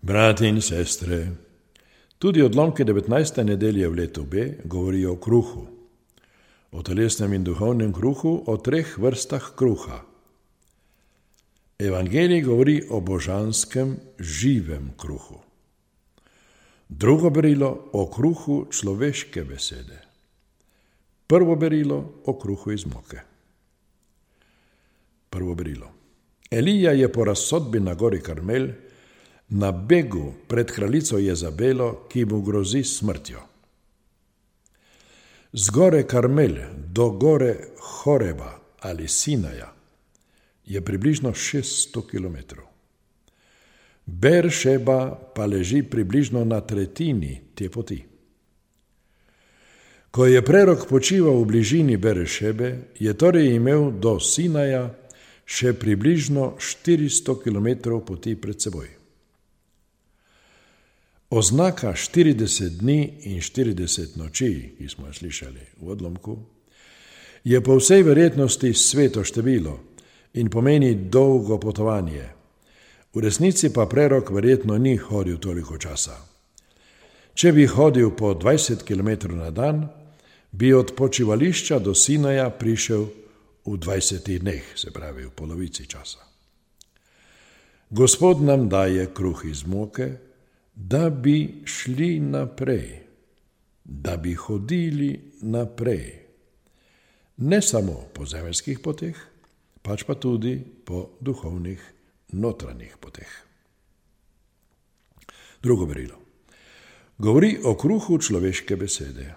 Brati in sestre, tudi odlomke 19. nedelje v letu B govorijo o kruhu, o telesnem in duhovnem kruhu, o 3 vrstah kruha. Evangelij govori o božanskem, živem kruhu. Drugo berilo o kruhu človeške besede. Prvo berilo o kruhu iz moke. Prvo berilo. Elija je po razsodbi na gori Karmel na begu pred kraljico Jezabelo, ki mu grozi smrtjo. Z gore Karmel do gore Horeba ali Sinaja je približno 600 kilometrov. Beršeba pa leži približno na tretjini te poti. Ko je prerok počival v bližini Beršebe, je torej imel do Sinaja še približno 400 kilometrov poti pred seboj. Oznaka 40 dni in 40 noči, ki smo jo slišali v odlomku, je po vsej verjetnosti sveto število in pomeni dolgo potovanje. V resnici pa prerok verjetno ni hodil toliko časa. Če bi hodil po 20 km na dan, bi od počivališča do Sinaja prišel v 20 dneh, se pravi v polovici časa. Gospod nam daje kruh iz moke, da bi šli naprej, da bi hodili naprej. Ne samo po zemeljskih poteh, pač pa tudi po duhovnih, notranjih poteh. Drugo berilo. Govori o kruhu človeške besede.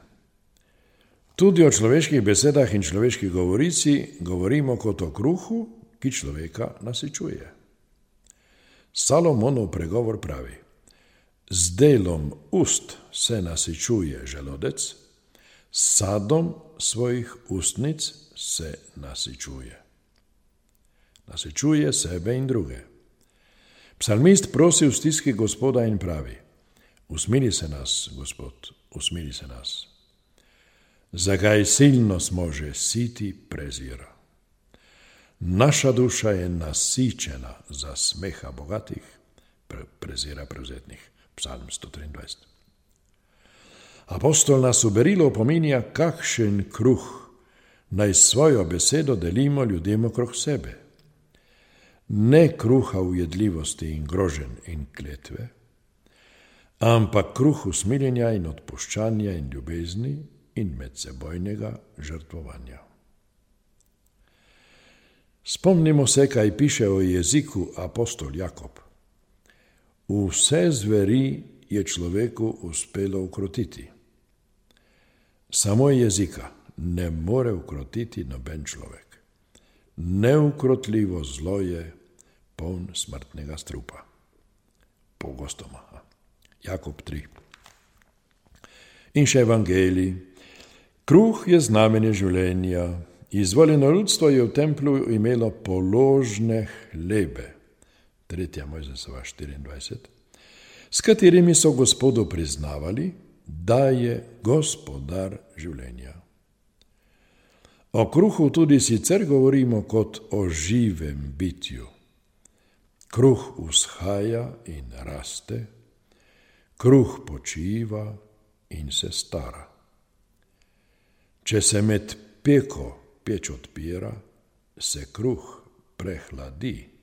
Tudi o človeških besedah in človeški govorici govorimo kot o kruhu, ki človeka nasičuje. Salomonov pregovor pravi: z delom ust se nasičuje želodec, s sadom svojih ustnic se nasičuje. Nasičuje sebe in druge. Psalmist prosi v stiski Gospoda in pravi: usmili se nas, Gospod, usmili se nas. Zakaj silno smo že siti prezira. Naša duša je nasičena za smeha bogatih, prezira prevzetnih. Psalm 123. Apostol nas v berilo opominja, kakšen kruh naj svojo besedo delimo ljudem okrog sebe. Ne kruha ujedljivosti in groženj in kletve, ampak kruh usmiljenja in odpuščanja in ljubezni in medsebojnega žrtvovanja. Spomnimo se, kaj piše o jeziku apostol Jakob. Vse zveri je človeku uspelo ukrotiti. Samo jezika ne more ukrotiti noben človek. Neukrotljivo zlo je poln smrtnega strupa. Pogostoma. Jakob 3. In še Evangelij. Kruh je znamenje življenja. Izvoljeno ljudstvo je v templju imelo položne hlebe. 3. Mojzesova 24, s katerimi so Gospodu priznavali, da je gospodar življenja. O kruhu tudi sicer govorimo kot o živem bitju. Kruh vzhaja in raste, kruh počiva in se stara. Če se med peko peč odpira, se kruh prehladi.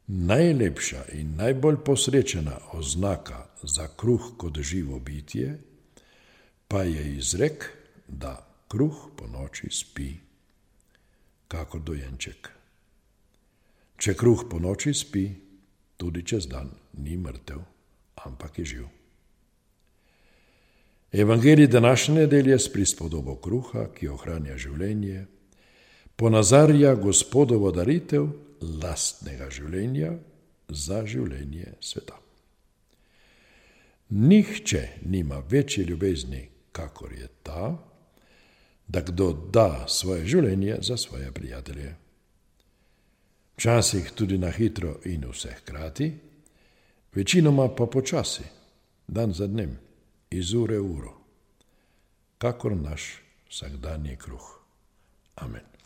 Najlepša in najbolj posrečena oznaka za kruh kot živo bitje pa je izrek, da kruh ponoči spi, kakor dojenček. Če kruh ponoči spi, tudi čez dan ni mrtev, ampak je živ. Evangelij današnje nedelje s prispodobo kruha, ki ohranja življenje, ponazarja Gospodovo daritev lastnega življenja za življenje sveta. Nihče nima večje ljubezni, kakor je ta, da kdo da svoje življenje za svoje prijatelje. Včasih tudi na hitro in vse hkrati, večinoma pa počasi, dan za dnem, iz ure v uro, kakor naš vsakdanji kruh. Amen.